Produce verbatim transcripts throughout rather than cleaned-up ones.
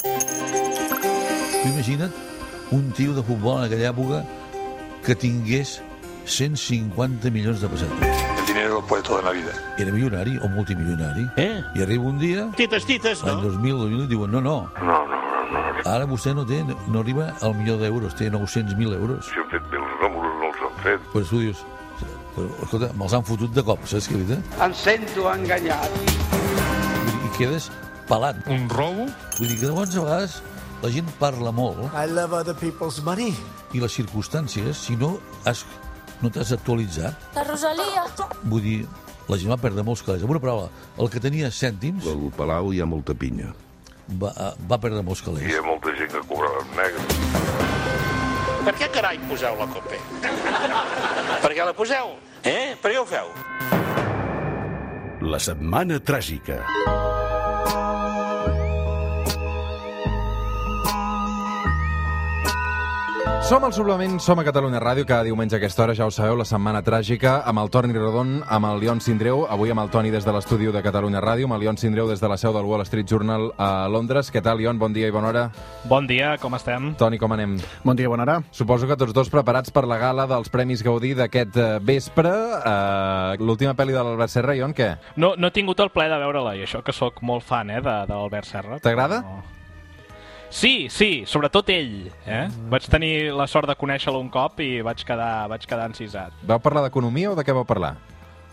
Tu imagina't un tio de futbol en aquella època que tingués cent cinquanta milions de pessetes. El dinero lo puede todo en la vida. Era milionari o multimilionari. Eh? I arriba un dia, Tites, tites, l'any no? dos mil, dos mil, diuen, no, no, No, no, no, no. ara vostè no té, no arriba al milió d'euros, té nou-cents mil euros. Si han fet bé els números, no els han fet. Pues tu dius, però, escolta, me'ls han fotut de cop, saps què és veritat? Em sento enganyat. I quedes pelat. Un robo? Vull dir que llavors a vegades la gent parla molt I love other people's money. i les circumstàncies, si no has, no t'has actualitzat, La Rosalia. vull dir, la gent va perdre molts calés. Amb una paraula, el que tenia cèntims Al Palau hi ha molta pinya. va, va perdre molts Hi calés. ha molta gent que cobrava en negre. Per què carai poseu la COPE? Per què la poseu? Eh? Per què ho feu? La setmana tràgica. Som al Suplement, som a Catalunya Ràdio, cada diumenge a aquesta hora, ja ho sabeu, la setmana tràgica, amb el Toni Rodon, amb el Lion Sindreu, avui amb el Toni des de l'estudi de Catalunya Ràdio, amb el Lion Sindreu des de la seu del Wall Street Journal a Londres. Què tal, Lion? Bon dia i bona hora. Bon dia, com estem? Toni, com anem? Bon dia, bona hora. Suposo que tots dos preparats per la gala dels Premis Gaudí d'aquest eh, vespre. Eh, L'última pel·li de l'Albert Serra, Lion, què? No, no he tingut el plaer de veure-la, i això que sóc molt fan, eh, de, de l'Albert Serra. T'agrada? No. Sí, sí, sobretot ell. Eh? Mm. Vaig tenir la sort de conèixer-lo un cop i vaig quedar, vaig quedar encisat. Vau parlar d'economia o de què vau parlar?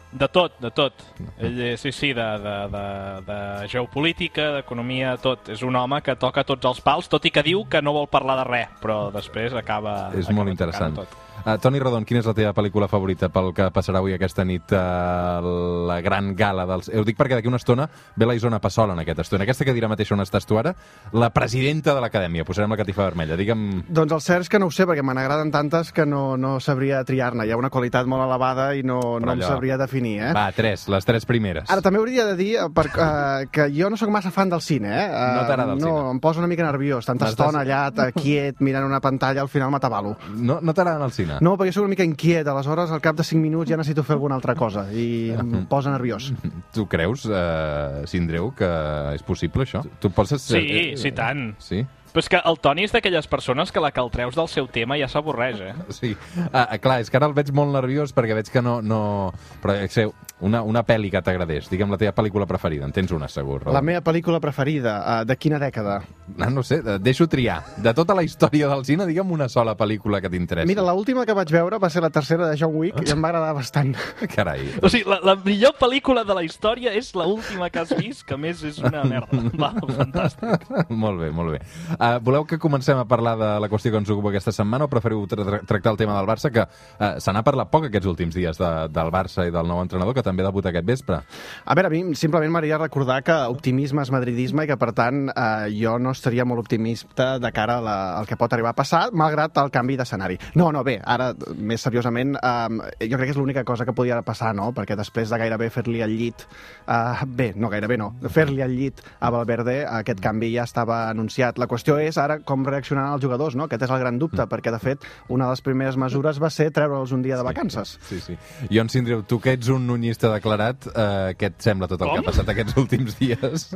De tot, de tot. Ell, eh, sí, sí, de, de, de, de geopolítica, d'economia, tot. És un home que toca tots els pals, tot i que diu que no vol parlar de res, però després acaba... És acaba molt interessant. tot. Uh, Toni Rodon, quina és la teva pel·lícula favorita pel que passarà avui aquesta nit a uh, la gran gala dels... Ho dic perquè d'aquí una estona ve la Isona Passola en aquesta estona. Aquesta que dirà mateix on estàs tu ara, la presidenta de l'Acadèmia. Posarem la catifa vermella. Digue'm... Doncs el cert és que no ho sé, perquè me n'agraden tantes que no, no sabria triar-ne. Hi ha una qualitat molt elevada i no, no em sabria definir, eh? Va, tres, les tres primeres. Ara, també hauria de dir eh, per, uh, que jo no sóc massa fan del cine, eh? Uh, No t'agrada el no, cine? em posa una mica nerviós. Tanta M'estàs- estona allà, eh, quiet, mirant una pantalla, al final m'atabalo. No, no t'agrada el cine? No, perquè soc una mica inquiet, aleshores al cap de cinc minuts ja necessito fer alguna altra cosa i em posa nerviós. Tu creus, uh, Sindreu, que és possible, això? Tu poses... Sí, sí, tant. Sí? Però és que el Toni és d'aquelles persones que la que el treus del seu tema ja s'avorreix, eh? Sí. Ah, clar, és que ara el veig molt nerviós perquè veig que no... no... Però, sé, una, una pel·li que t'agradés. Digue'm la teva pel·lícula preferida. En tens una, segur. Raül. La meva pel·lícula preferida, uh, de quina dècada? No, no sé, et deixo triar. De tota la història del cine, digue'm una sola pel·lícula que t'interessi. Mira, l'última que vaig veure va ser la tercera de John Wick i em va agradar bastant. Carai. O sigui, la, la millor pel·lícula de la història és l'última que has vist, que a més és una merda. Va, fantàstic. Molt bé, molt bé. Uh, voleu que comencem a parlar de la qüestió que ens ocupa aquesta setmana o preferiu tra tra tractar el tema del Barça, que uh, se n'ha parlat poc aquests últims dies de, del Barça i del nou entrenador, que també debuta aquest vespre? A veure, a mi simplement m'agradaria recordar que optimisme és madridisme i que, per tant, eh, jo no estaria molt optimista de cara a la, al que pot arribar a passar, malgrat el canvi d'escenari. No, no, bé, ara, més seriosament, eh, jo crec que és l'única cosa que podia passar, no? Perquè després de gairebé fer-li el llit... Eh, bé, no, gairebé no. Fer-li el llit a Valverde, aquest canvi ja estava anunciat. La qüestió és ara com reaccionaran els jugadors, no? Aquest és el gran dubte, mm. perquè, de fet, una de les primeres mesures va ser treure'ls un dia de vacances. Sí, sí. Jon Sindreu, tu que ets un nunyista declarat, eh, què et sembla tot el Com? que ha passat aquests últims dies?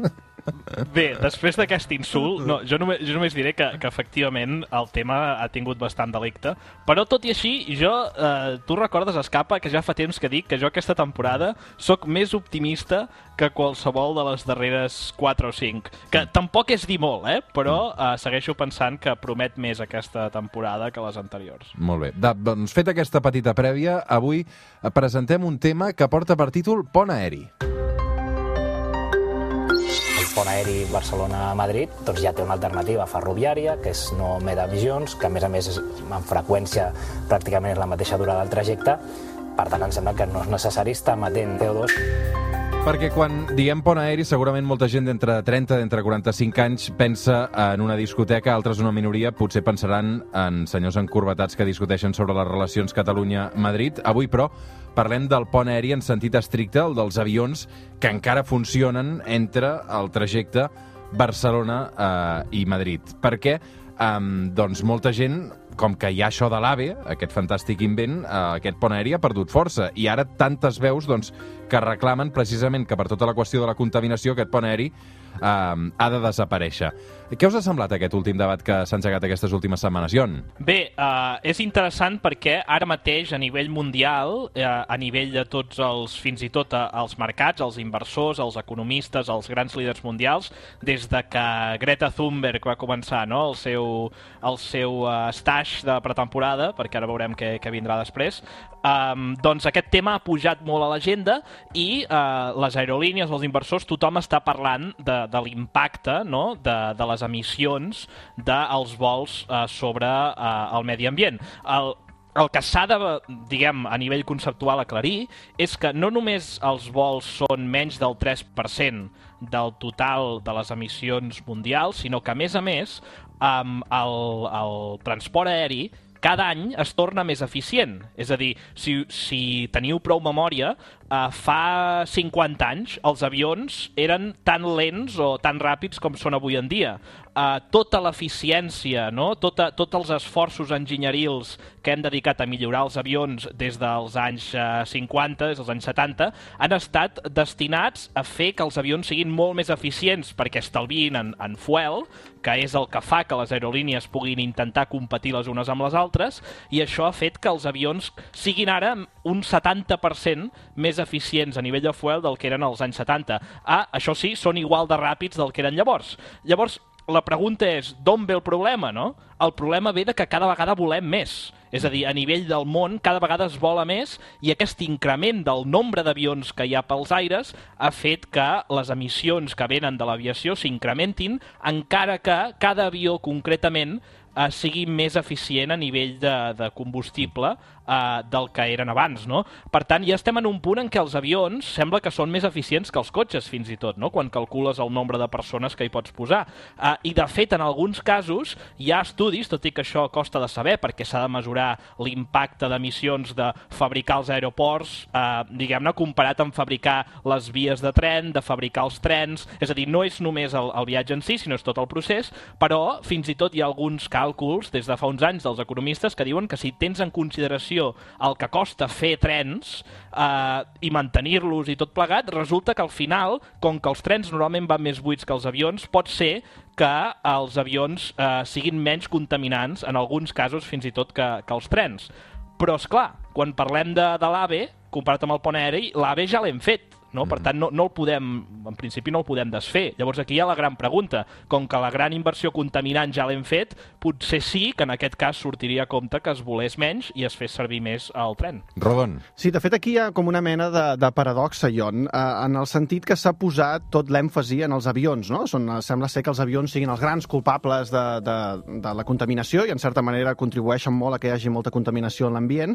Bé, després d'aquest insult, no, jo, només, jo només diré que, que efectivament el tema ha tingut bastant delicte, però tot i així, jo, eh, tu recordes, Escapa, que ja fa temps que dic que jo aquesta temporada sóc més optimista que qualsevol de les darreres quatre o cinc, que tampoc és dir molt, eh? Però eh, segueixo pensant que promet més aquesta temporada que les anteriors. Molt bé. Da, doncs, fet aquesta petita prèvia, avui presentem un tema que porta per títol Pont Aeri. El pont aeri Barcelona-Madrid doncs ja té una alternativa ferroviària, que és no Medavisions, que a més a més és, en freqüència pràcticament és la mateixa durada del trajecte. Per tant, em sembla que no és necessari estar emetent C O dos. Perquè quan diem pont aeri, segurament molta gent d'entre trenta, d'entre quaranta-cinc anys pensa en una discoteca, altres una minoria, potser pensaran en senyors encorbatats que discuteixen sobre les relacions Catalunya-Madrid. Avui, però, parlem del pont aeri en sentit estricte, el dels avions que encara funcionen entre el trajecte Barcelona eh, i Madrid. Perquè eh, doncs molta gent, com que hi ha això de l'AVE, aquest fantàstic invent, eh, aquest pont aeri ha perdut força. I ara tantes veus doncs, que reclamen precisament que per tota la qüestió de la contaminació aquest pont aeri eh, ha de desaparèixer. Què us ha semblat aquest últim debat que s'ha engegat aquestes últimes setmanes, Jon? Bé, uh, és interessant perquè ara mateix a nivell mundial, uh, a nivell de tots els, fins i tot uh, els mercats, els inversors, els economistes, els grans líders mundials, des de que Greta Thunberg va començar, no?, el seu, el seu uh, stage de pretemporada, perquè ara veurem què, què vindrà després, um, doncs aquest tema ha pujat molt a l'agenda i uh, les aerolínies, els inversors, tothom està parlant de, de l'impacte, no?, de, de les emissions dels vols uh, sobre uh, el medi ambient. El, el que s'ha de, diguem, a nivell conceptual aclarir és que no només els vols són menys del tres per cent del total de les emissions mundials, sinó que, a més a més, um, el, el transport aeri cada any es torna més eficient. És a dir, si, si teniu prou memòria, uh, fa cinquanta anys els avions eren tan lents o tan ràpids com són avui en dia. Uh, tota l'eficiència, no? tota, tots els esforços enginyerils que hem dedicat a millorar els avions des dels anys uh, cinquanta, des dels anys setanta, han estat destinats a fer que els avions siguin molt més eficients perquè estalviïn en, en fuel, que és el que fa que les aerolínies puguin intentar competir les unes amb les altres, i això ha fet que els avions siguin ara un setanta per cent més eficients a nivell de fuel del que eren als anys setanta. Ah, això sí, són igual de ràpids del que eren llavors. Llavors, la pregunta és, d'on ve el problema, no? El problema ve de que cada vegada volem més. És a dir, a nivell del món, cada vegada es vola més i aquest increment del nombre d'avions que hi ha pels aires ha fet que les emissions que venen de l'aviació s'incrementin, encara que cada avió concretament eh, sigui més eficient a nivell de, de combustible eh, del que eren abans, no? Per tant, ja estem en un punt en què els avions sembla que són més eficients que els cotxes, fins i tot, no?, quan calcules el nombre de persones que hi pots posar. Eh, I, de fet, en alguns casos hi ha estudis, tot i que això costa de saber, perquè s'ha de mesurar l'impacte d'emissions de fabricar els aeroports, eh, diguem-ne, comparat amb fabricar les vies de tren, de fabricar els trens, és a dir, no és només el, el viatge en si, sinó és tot el procés, però fins i tot hi ha alguns càlculs des de fa uns anys dels economistes que diuen que si tens en consideració el que costa fer trens eh, i mantenir-los i tot plegat, resulta que al final, com que els trens normalment van més buits que els avions, pot ser que els avions eh, siguin menys contaminants, en alguns casos fins i tot que, que els trens. Però, és clar, quan parlem de, de l'AVE, comparat amb el pont aeri, l'AVE ja l'hem fet, no? Per tant, no, no el podem, en principi no el podem desfer. Llavors aquí hi ha la gran pregunta. Com que la gran inversió contaminant ja l'hem fet, potser sí que en aquest cas sortiria a compte que es volés menys i es fes servir més el tren. Rodon. Sí, de fet aquí hi ha com una mena de, de paradoxa, Jon, eh, en el sentit que s'ha posat tot l'èmfasi en els avions, no? Són, sembla ser que els avions siguin els grans culpables de, de, de la contaminació i en certa manera contribueixen molt a que hi hagi molta contaminació en l'ambient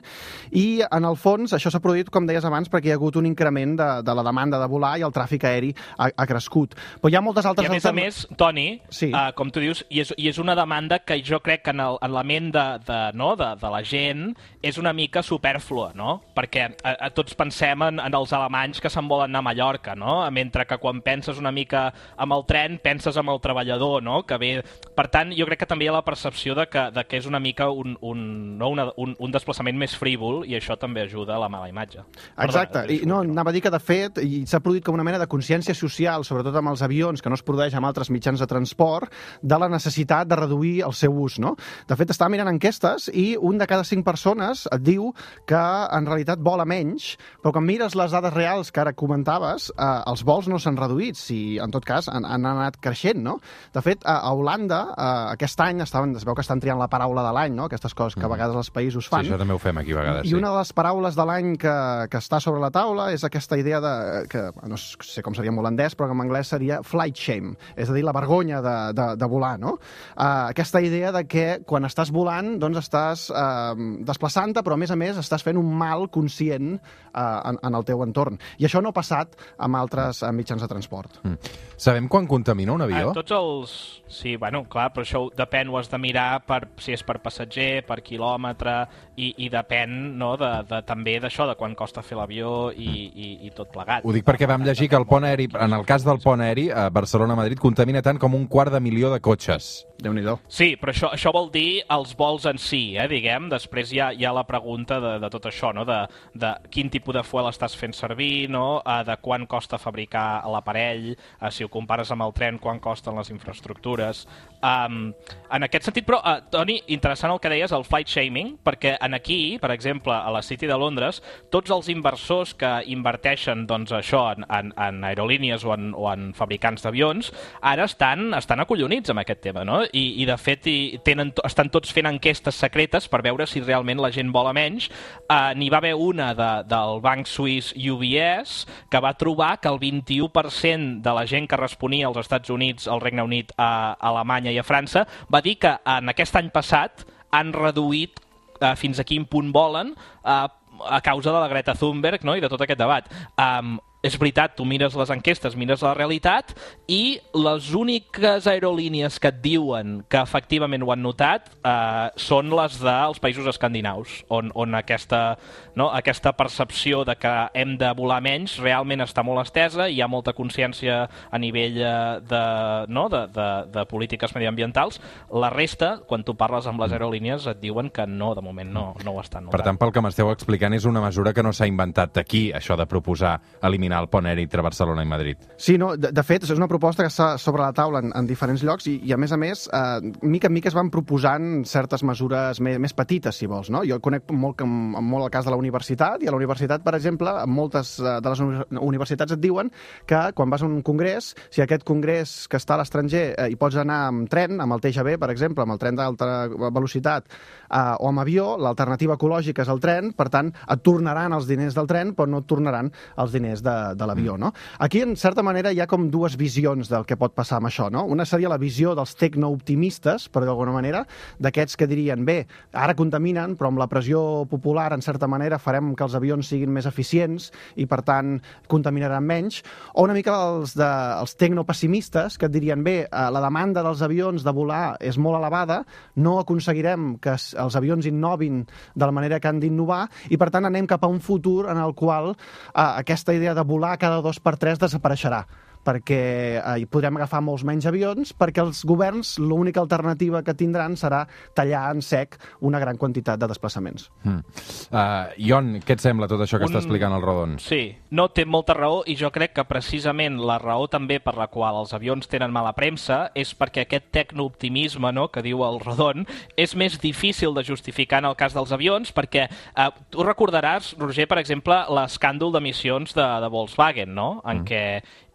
i en el fons això s'ha produït, com deies abans, perquè hi ha hagut un increment de, de la demanda de volar i el tràfic aeri ha, ha crescut. Però hi ha moltes altres... I a més a més, Toni, sí. uh, com tu dius, i és, i és una demanda que jo crec que en, el, en la ment de, de, no, de, de la gent és una mica supèrflua, no? Perquè a, a tots pensem en, en els alemanys que se'n volen anar a Mallorca, no? Mentre que quan penses una mica amb el tren, penses amb el treballador, no? Que ve... Per tant, jo crec que també hi ha la percepció de que, de que és una mica un, un, no? una, un, un desplaçament més frívol i això també ajuda a la mala imatge. Exacte. Perdona, I, no, anava a dir que, de fet, i s'ha produït com una mena de consciència social, sobretot amb els avions, que no es produeix amb altres mitjans de transport, de la necessitat de reduir el seu ús, no? De fet, estava mirant enquestes i un de cada cinc persones et diu que en realitat vola menys, però quan mires les dades reals que ara comentaves, eh, els vols no s'han reduït, si en tot cas han, han anat creixent, no? De fet, a, a Holanda, eh, aquest any, estaven, es veu que estan triant la paraula de l'any, no? Aquestes coses que a vegades els països fan. Sí, això també ho fem aquí a vegades, I sí. una de les paraules de l'any que, que està sobre la taula és aquesta idea de, que no sé com seria en holandès, però en anglès seria flight shame, és a dir, la vergonya de, de, de volar, no? Uh, aquesta idea de que quan estàs volant, doncs estàs uh, desplaçant-te, però a més a més estàs fent un mal conscient uh, en, en el teu entorn. I això no ha passat amb altres uh, mitjans de transport. Mm. Sabem quan contamina un avió? Uh, tots els... Sí, bueno, clar, però això depèn, ho has de mirar per, si és per passatger, per quilòmetre, i, i depèn, no?, de, de, també d'això, de quan costa fer l'avió i, i, i tot plegat. Ho dic perquè vam llegir que el pont aeri, en el cas del pont aeri, a Barcelona-Madrid, contamina tant com un quart de milió de cotxes. Déu-n'hi-do. Sí, però això, això vol dir els vols en si, eh, diguem. Després hi ha, hi ha la pregunta de, de tot això, no? de, de quin tipus de fuel estàs fent servir, no? uh, de quan costa fabricar l'aparell, uh, si ho compares amb el tren, quan costen les infraestructures. Um, en aquest sentit, però, uh, Toni, interessant el que deies, el flight shaming, perquè en aquí, per exemple, a la City de Londres, tots els inversors que inverteixen doncs, això en, en, en aerolínies o en, o en fabricants d'avions, ara estan, estan acollonits amb aquest tema, no? I, i de fet i tenen, estan tots fent enquestes secretes per veure si realment la gent vola menys. Uh, N'hi va haver una de, del banc suís U B S que va trobar que el vint-i-u per cent de la gent que responia als Estats Units, al Regne Unit, a Alemanya i a França va dir que en aquest any passat han reduït uh, fins a quin punt volen uh, a causa de la Greta Thunberg, no? I de tot aquest debat. Um, és veritat, tu mires les enquestes, mires la realitat i les úniques aerolínies que et diuen que efectivament ho han notat eh, són les dels països escandinaus, on, on aquesta, no, aquesta percepció de que hem de volar menys realment està molt estesa i hi ha molta consciència a nivell de, no, de, de, de polítiques mediambientals. La resta, quan tu parles amb les aerolínies, et diuen que no, de moment no, no ho estan notant. Per tant, pel que m'esteu explicant, és una mesura que no s'ha inventat aquí, això de proposar eliminar el pont aeri entre Barcelona i Madrid. Sí, no, de, de fet, és una proposta que està sobre la taula en, en diferents llocs i, i a més a més, eh, mica en mica es van proposant certes mesures més, més petites, si vols, no? Jo conec molt, molt el cas de la universitat, i a la universitat, per exemple, en moltes de les universitats et diuen que quan vas a un congrés, si aquest congrés que està a l'estranger eh, hi pots anar amb tren, amb el T G V, per exemple, amb el tren d'alta velocitat, eh, o amb avió, l'alternativa ecològica és el tren, per tant, et tornaran els diners del tren, però no et tornaran els diners de, de l'avió, no? Aquí, en certa manera, hi ha com dues visions del que pot passar amb això, no? Una seria la visió dels tecnooptimistes, per d'alguna manera, d'aquests que dirien, bé, ara contaminen, però amb la pressió popular, en certa manera, farem que els avions siguin més eficients i, per tant, contaminaran menys. O una mica els, de, els tecnopessimistes, que et dirien, bé, la demanda dels avions de volar és molt elevada, no aconseguirem que els avions innovin de la manera que han d'innovar i, per tant, anem cap a un futur en el qual eh, aquesta idea de volar cada dos per tres desapareixerà, perquè eh, podrem agafar molts menys avions, perquè els governs l'única alternativa que tindran serà tallar en sec una gran quantitat de desplaçaments. Mm. Uh, Ion, què et sembla tot això que Un... està explicant el Rodon? Sí, no, té molta raó i jo crec que precisament la raó també per la qual els avions tenen mala premsa és perquè aquest tecnooptimisme, no, que diu el Rodon és més difícil de justificar en el cas dels avions perquè uh, tu recordaràs, Roger, per exemple, l'escàndol d'emissions de, de Volkswagen, no? En mm. què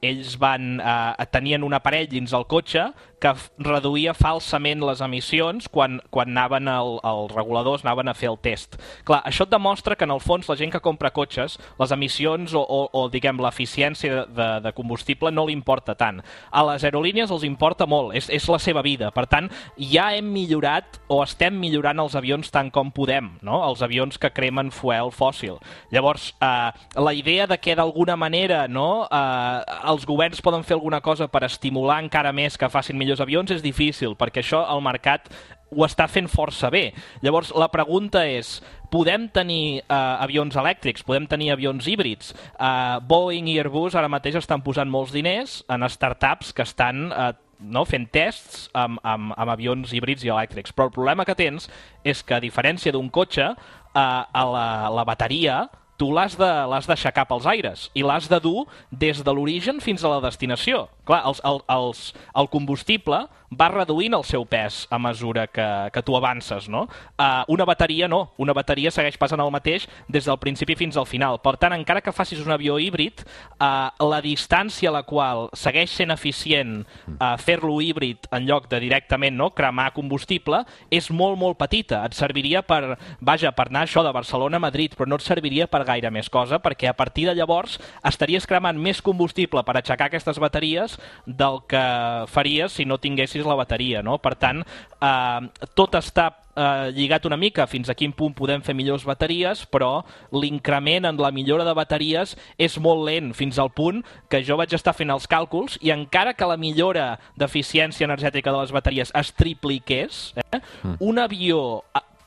ells van, eh, tenien un aparell dins el cotxe que reduïa falsament les emissions quan, quan anaven el, els reguladors anaven a fer el test. Clar, això et demostra que en el fons la gent que compra cotxes, les emissions o, o, o diguem, l'eficiència de, de, de combustible no li importa tant. A les aerolínies els importa molt, és, és la seva vida. Per tant, ja hem millorat o estem millorant els avions tant com podem, no? Els avions que cremen fuel fòssil. Llavors, eh, la idea de que d'alguna manera, no, eh, els governs poden fer alguna cosa per estimular encara més que facin millors avions és difícil, perquè això el mercat ho està fent força bé. Llavors, la pregunta és, podem tenir eh, avions elèctrics, podem tenir avions híbrids? Eh, Boeing i Airbus ara mateix estan posant molts diners en startups que estan eh, no, fent tests amb, amb, amb avions híbrids i elèctrics. Però el problema que tens és que, a diferència d'un cotxe, eh, a la, la bateria tu l'has de, l'has d'aixecar pels aires i l'has de dur des de l'origen fins a la destinació. Clar, els, el, els, el combustible va reduint el seu pes a mesura que, que tu avances, no? Uh, una bateria no, una bateria segueix passant el mateix des del principi fins al final. Per tant, encara que facis un avió híbrid, uh, la distància a la qual segueix sent eficient uh, fer-lo híbrid en lloc de directament, no, cremar combustible és molt, molt petita. Et serviria per, vaja, per anar això de Barcelona a Madrid, però no et serviria per gaire més cosa, perquè a partir de llavors estaries cremant més combustible per aixecar aquestes bateries del que faries si no tinguessis la bateria, no? Per tant, eh, tot està eh, lligat una mica fins a quin punt podem fer millors bateries, però l'increment en la millora de bateries és molt lent, fins al punt que jo vaig estar fent els càlculs i encara que la millora d'eficiència energètica de les bateries es tripliqués, eh, mm. un avió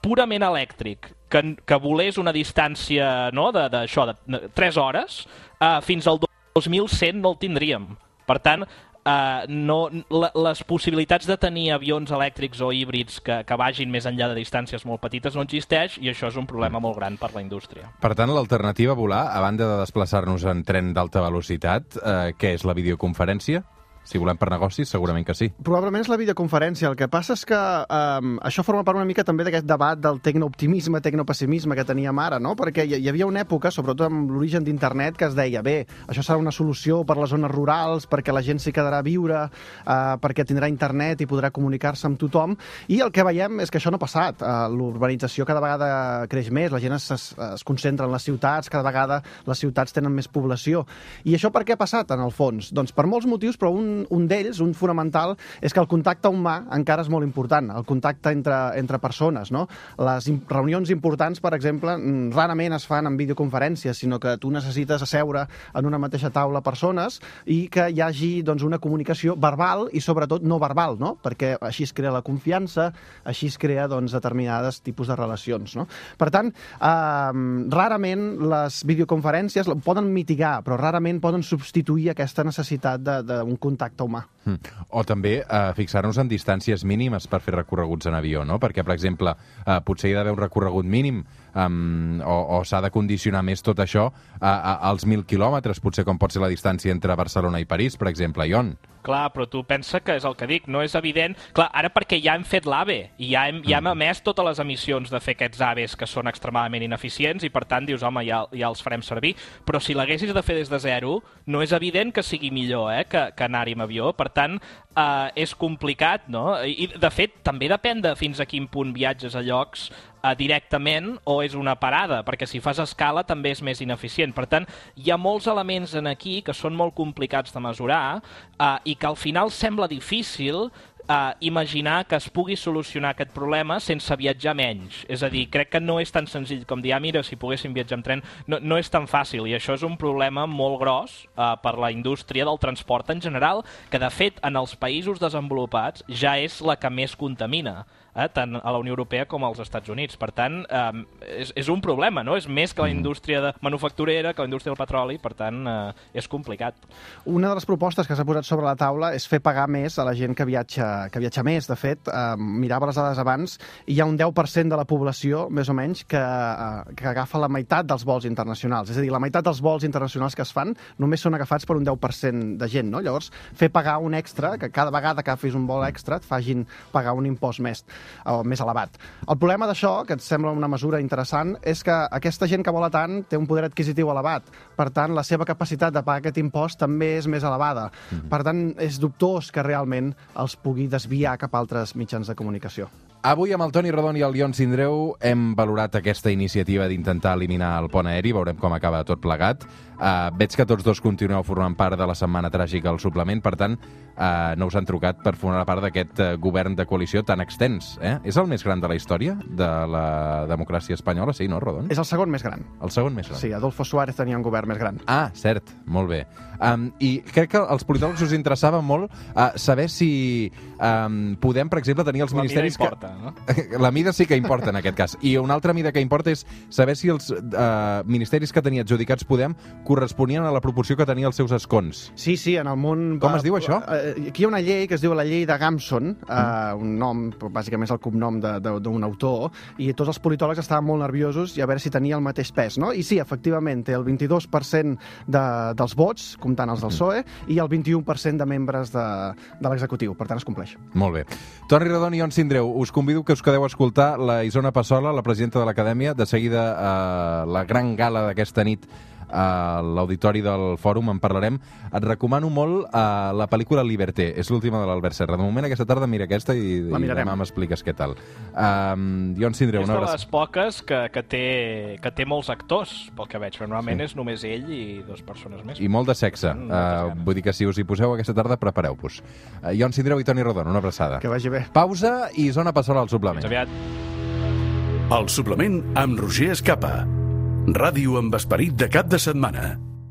purament elèctric que, que volés una distància, no, de, de, això, de tres hores, eh, fins al dos mil cent no el tindríem. Per tant, uh, no, la, les possibilitats de tenir avions elèctrics o híbrids que, que vagin més enllà de distàncies molt petites no existeix, i això és un problema molt gran per la indústria. Per tant, l'alternativa a volar, a banda de desplaçar-nos en tren d'alta velocitat, eh, què és la videoconferència? Si volem per negocis, segurament que sí. Probablement és la videoconferència. El que passa és que um, això forma part una mica també d'aquest debat del tecnooptimisme, tecnopessimisme que teníem ara, no? Perquè hi, hi havia una època, sobretot amb l'origen d'internet, que es deia, bé, això serà una solució per les zones rurals, perquè la gent s'hi quedarà a viure, uh, perquè tindrà internet i podrà comunicar-se amb tothom, i el que veiem és que això no ha passat. Uh, l'urbanització cada vegada creix més, la gent es, es, es concentra en les ciutats, cada vegada les ciutats tenen més població. I això per què ha passat, en el fons? Doncs per molts motius, però un un d'ells, un fonamental, és que el contacte humà encara és molt important, el contacte entre, entre persones, no? Les reunions importants, per exemple, rarament es fan en videoconferències, sinó que tu necessites asseure en una mateixa taula persones i que hi hagi doncs, una comunicació verbal i sobretot no verbal, no? Perquè així es crea la confiança, així es crea doncs, determinades tipus de relacions, no? Per tant, eh, rarament les videoconferències poden mitigar, però rarament poden substituir aquesta necessitat d'un contacte humà. Mm. O també eh, fixar-nos en distàncies mínimes per fer recorreguts en avió, no? Perquè, per exemple, eh, potser hi ha d'haver un recorregut mínim um, o, o s'ha de condicionar més tot això a, a, als mil quilòmetres, potser com pot ser la distància entre Barcelona i París, per exemple, Ion. Clar, però tu pensa que és el que dic, no és evident... Clar, ara perquè ja hem fet l'AVE i ja hem, ja hem emès totes les emissions de fer aquests AVEs que són extremadament ineficients i per tant dius, home, ja, ja els farem servir, però si l'haguessis de fer des de zero, no és evident que sigui millor eh, que, que anar-hi amb avió, per tant, eh, és complicat, no? I, de fet, també depèn de fins a quin punt viatges a llocs eh, directament o és una parada, perquè si fas escala també és més ineficient. Per tant, hi ha molts elements en aquí que són molt complicats de mesurar eh, i que al final sembla difícil Uh, imaginar que es pugui solucionar aquest problema sense viatjar menys. És a dir, crec que no és tan senzill com dir, ah, mira, si poguéssim viatjar amb tren, no, no és tan fàcil, i això és un problema molt gros uh, per la indústria del transport en general, que de fet en els països desenvolupats ja és la que més contamina, eh, tant a la Unió Europea com als Estats Units. Per tant, um, és, és un problema, no? És més que la indústria de manufacturera, que la indústria del petroli, per tant, uh, és complicat. Una de les propostes que s'ha posat sobre la taula és fer pagar més a la gent que viatja que viatja més. De fet, eh, mirava les dades abans i hi ha un deu per cent de la població, més o menys, que, eh, que agafa la meitat dels vols internacionals. És a dir, la meitat dels vols internacionals que es fan només són agafats per un deu per cent de gent, no? Llavors, fer pagar un extra, que cada vegada que agafis un vol extra et facin pagar un impost més, o més elevat. El problema d'això, que et sembla una mesura interessant, és que aquesta gent que vola tant té un poder adquisitiu elevat. Per tant, la seva capacitat de pagar aquest impost també és més elevada. Mm-hmm. Per tant, és dubtós que realment els pugui desviar cap a altres mitjans de comunicació. Avui amb el Toni Rodon i el Ion Sindreu hem valorat aquesta iniciativa d'intentar eliminar el pont aeri, veurem com acaba tot plegat. Uh, veig que tots dos continueu formant part de la Setmana Tràgica al suplement, per tant, uh, no us han trucat per formar part d'aquest uh, govern de coalició tan extens. Eh? És el més gran de la història de la democràcia espanyola, sí, no, Rodon? És el segon més gran. El segon més gran. Sí, Adolfo Suárez tenia un govern més gran. Ah, cert, molt bé. Um, I crec que als politòlegs us interessava molt uh, saber si um, podem, per exemple, tenir els la ministeris... La mida importa, que... no? La mida sí que importa en aquest cas. I una altra mida que importa és saber si els uh, ministeris que tenia adjudicats Podem corresponien a la proporció que tenia els seus escons. Sí, sí, en el món... Com es diu això? Aquí hi ha una llei que es diu la llei de Gamson, mm. uh, un nom, bàsicament és el cognom d'un autor, i tots els politòlegs estaven molt nerviosos i a veure si tenia el mateix pes, no? I sí, efectivament, té el vint-i-dos per cent de, dels vots, comptant els del P S O E, mm. i el vint-i-u per cent de membres de, de l'executiu. Per tant, es compleix. Molt bé. Toni Rodon i Ion Sindreu, us convido que us quedeu a escoltar la Isona Passola, la presidenta de l'Acadèmia, de seguida uh, la gran gala d'aquesta nit a l'auditori del Fòrum, en parlarem. Et recomano molt uh, la pel·lícula Liberté, és l'última de l'Albert Serra. De moment, aquesta tarda mira aquesta i, i demà m'expliques què tal. Um, Ion Sindreu, és una de hora... les poques que, que, té, que té molts actors, pel que veig, però normalment sí. És només ell i dues persones més. I molt de sexe. Uh, vull dir que si us hi poseu aquesta tarda, prepareu-vos. Uh, Ion Sindreu i Toni Rodon, una abraçada. Que vagi bé. Pausa i Zona Passola al suplement. Fins aviat. El suplement amb Roger Escapa. Ràdio amb esperit de cap de setmana.